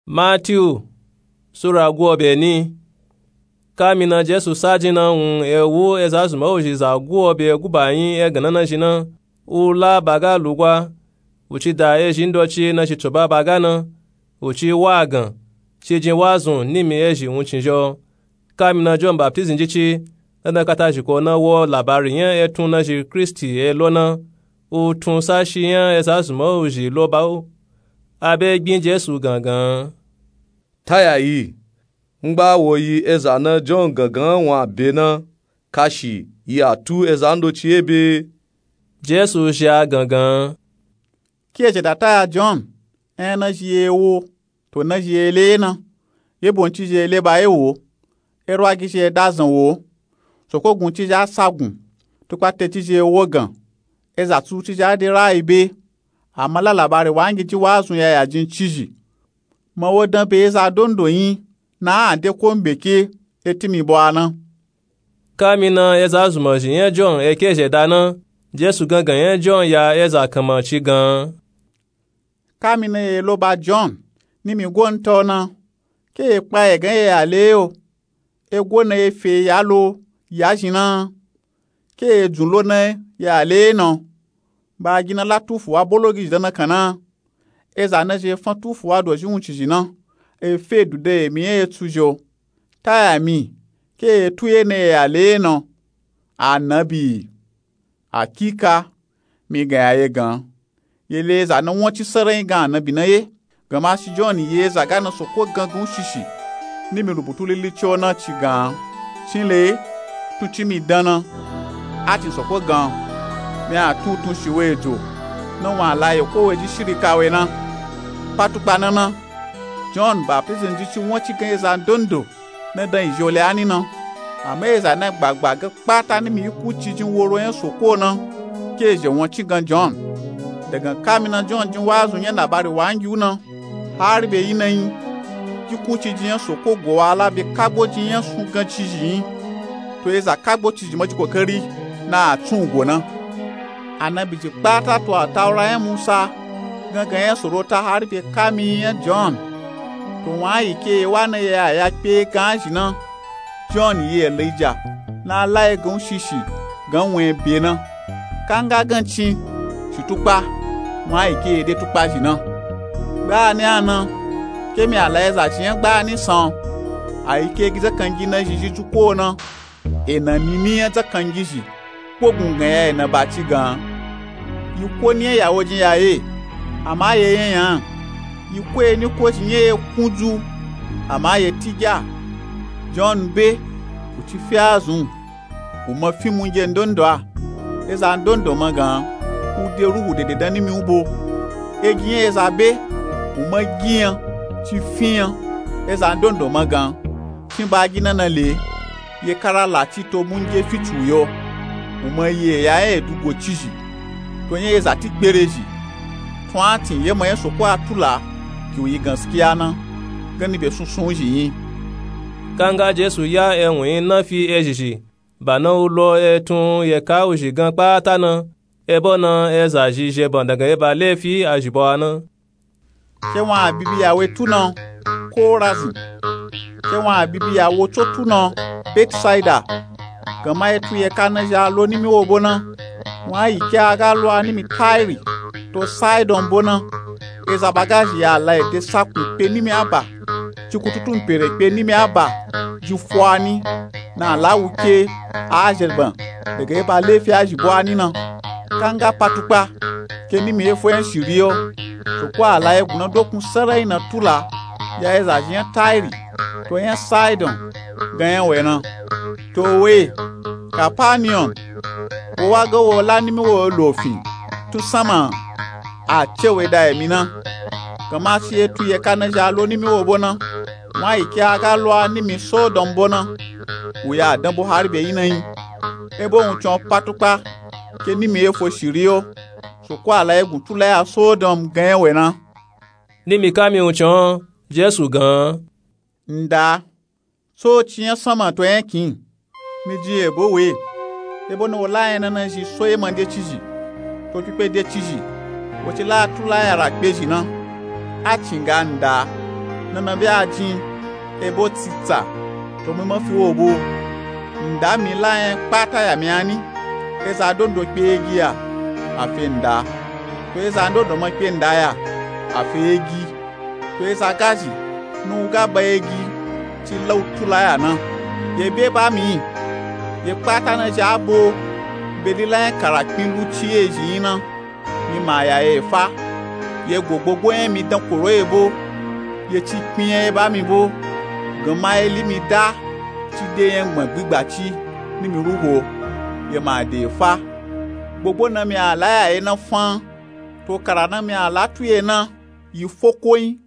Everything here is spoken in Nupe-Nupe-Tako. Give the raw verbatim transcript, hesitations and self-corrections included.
Matiyu sura guobe ni. Kamina Jesu sa jin na wun e wu eza zuma uzhi za guobe guba yin e ganna na zhin na, u la baga lugwa, u ci da ezhi ndoci na zhi tsoba baga na, u ci wa gan, ci jin wa zun nimi ezhi wun cin zho. Kamina John Baptizm ji ci, na dan kata zhiko na wo labari nya etun na zhi Kristi e lo na, u tun sa shi nya eza zuma uzhi lo ba u. A be gbin Jesu gangan. Taya yi, ngba wo yi eza na John gangan wun a be na, kashi yi a tu eza ndoci e be. Jesu zhi a gangan. Ki e zheda taya John, en na zhi e wo, to na zhi e le na, ye bon ci zhi e le ba e wo, e rwa gi zhi e da zan wo, soko gun ci zhi a sa gun, tukpa te ci zhi e wo gan, eza tsu ci zhi a de rayi be, a ma la labari wa ngi ji wa zun ya ya jin ci zhi. Ma wo dan be eza dondo yin, na a de ko mbeke, e ti mi bo a na. Kamina eza zuma zhi nya John e ke zheda na, Jesu gangan nya John ya eza kanma ci gan. Kamina ye lo ba John, nimi go nta o na, ke ye kpa ye gan ye ya le yo, e go na ye fe ya lo, ya zhin na, ke ye dzun lo na ye ya le na, ba gi na la tufu wa bolo gi zhi dan na kan na, eza na zhi e fan tufu wa dozhi wun ci zhi na, e fe du de emi ye tsu zhi o, taya mi, ke ye tu ye na ye ya le na, anabi. Akika, mi gan ya ye gan. Ye le eza na won ci sarai gan anabi na ye. Gan ma shi John ye eza ga na soko gangan shishi. Nimi rubutu lili ci o na ci gan. Cin le, tun ci mi dan na. A cin soko gan. Mi a tun tun shi we jo. Na wun a la ye ko we ji shiri ka we na. Patukpa na na. John Baptist ji ci won ci gan eza ndondo. Na dan izhi o le a ni na. Ama eza na gbagba ga kpata nimi yi ku ci jin woro nya soko na, ke zhe won ci gan John. Dagan kamina John jin wa zun nya labari wa ngi u na, hari be yi na yin, yi ku ci jin nya soko go wa la be kagbo jin nya sun gan ci zhi yin. To eza kagbo ci zhi ma ji kokari na a tsun go na. Anabi ji kpata to Ataura nya Musa, gangan nya Sorota hari be kami nya John. To wun a yi ke ye wa na ye a ya kpe gan zhi na. John yi Elija, na la ye gan u shishi, gan wun e be na. Kanga gan cin, shi tukpa, wun a yi ke ye de tukpa zhi na. Gbani a na, ke mi a la ye za zhi nya gbani san, a yi ke gi zakangi na zhi zhi ju ko na. Ena nini nya zakangi zhi, kpogun gan ya ena ba ci gan. Yi ko ni nya ya wo jin ya ye, ama ye nya nya. Yi ko ye ni ko zhi nya ye kunju, ama ye tigya. John be, u ci fi a zun, u ma fi munje ndondo a. Eza ndondo ma gan, u de ruhu dede dan nimi u bo. Egi nya eza be, u ma gi nya, ci fi nya. Eza ndondo ma gan, cin ba gi na na le. Ye kara la ci to munje fici u yo. U ma yi eya nya edu go ci zhi. To nya eza ti gbere zhi. Tun a tin ye ma nya soko a tula, ki u yi ganskiya na, gani be sunsun zhi yin. Kanga Jesu ya ewun yin na fi ezhi zhi, ba na u lo etun ye ka u zhi gan kpata na, ebo na eza zhi zhe ban dagan ye ba lefi a zhi bo a na. Ke wun a bibi ya we tu na, Korazin. Ke wun a bibi ya wo tso tu na, Betsaida. Gan ma ye tu ye ka na zhi a lo nimi wo bo na, wun a yi ke a ga lo a nimi Tairi, to Saidon bo na. Eza ba ga zhi ya la ede sakun kpe nimi a ba, ci kututu mpere kpe nimi a ba, ji fo a ni, na a la wu ke a zhe ban, dagan ye ba lefi a zhi bo a ni na. Kanga patukpa, ke nimi ye fo nya shiri yo, soko a la ye gun na dokun sarai na tula, ya eza zhi nya Tairi, to nya Saidon, gan nya we na. To we, Kapanion, wo wa ga wo la nimi wo lo fin, tun sanma, a ce we da emi na. Gan ma ci ye tu ye ka na zhi a lo nimi wo bo na, wun a yi ke a ga lo a nimi Sodom bo na. U ya dan bo hari be yi na yin. Ebo wun cin o patukpa, ke nimi ye fo shiri yo, soko a la ye gun tula ya Sodom gan nya we na. Nimi kami wun cin o, Jesu gan. Nda, so ci nya sanma to nya kin. Mi jin ebo we. Ebo na wo la nya na na zhi so ye ma de ci zhi, to kpikpe de ci zhi, wo ci la tula ya ra kpe zhi na. A cin ga nda, nana be a jin, ebe o tsitsa, to mi ma fi wo bo. Nda mi la nya kpata ya mi ani. Eza ndondo kpe egi ya, a fe nda. To eza ndondo ma kpe nda ya, a fe egi. To eza gazhi, ni u ga ba egi, ci la u tula ya na. Ye be ba mi, ye kpata na zhi a bo, be lila nya kara kpin lu ci ye zhi yin na. Mi ma ya ye fa. Ye go gbogbo nya mi dan koro ye bo. Ye ci kpin nya ye ba mi bo. Gan ma ye li mi da, ci de nya gbọn gbigba ci, ni mi ru ho. Ye ma de fa. Gbogbo na mi a la ya ye na fan. To kara na mi a la tu ye na, yi foko yin,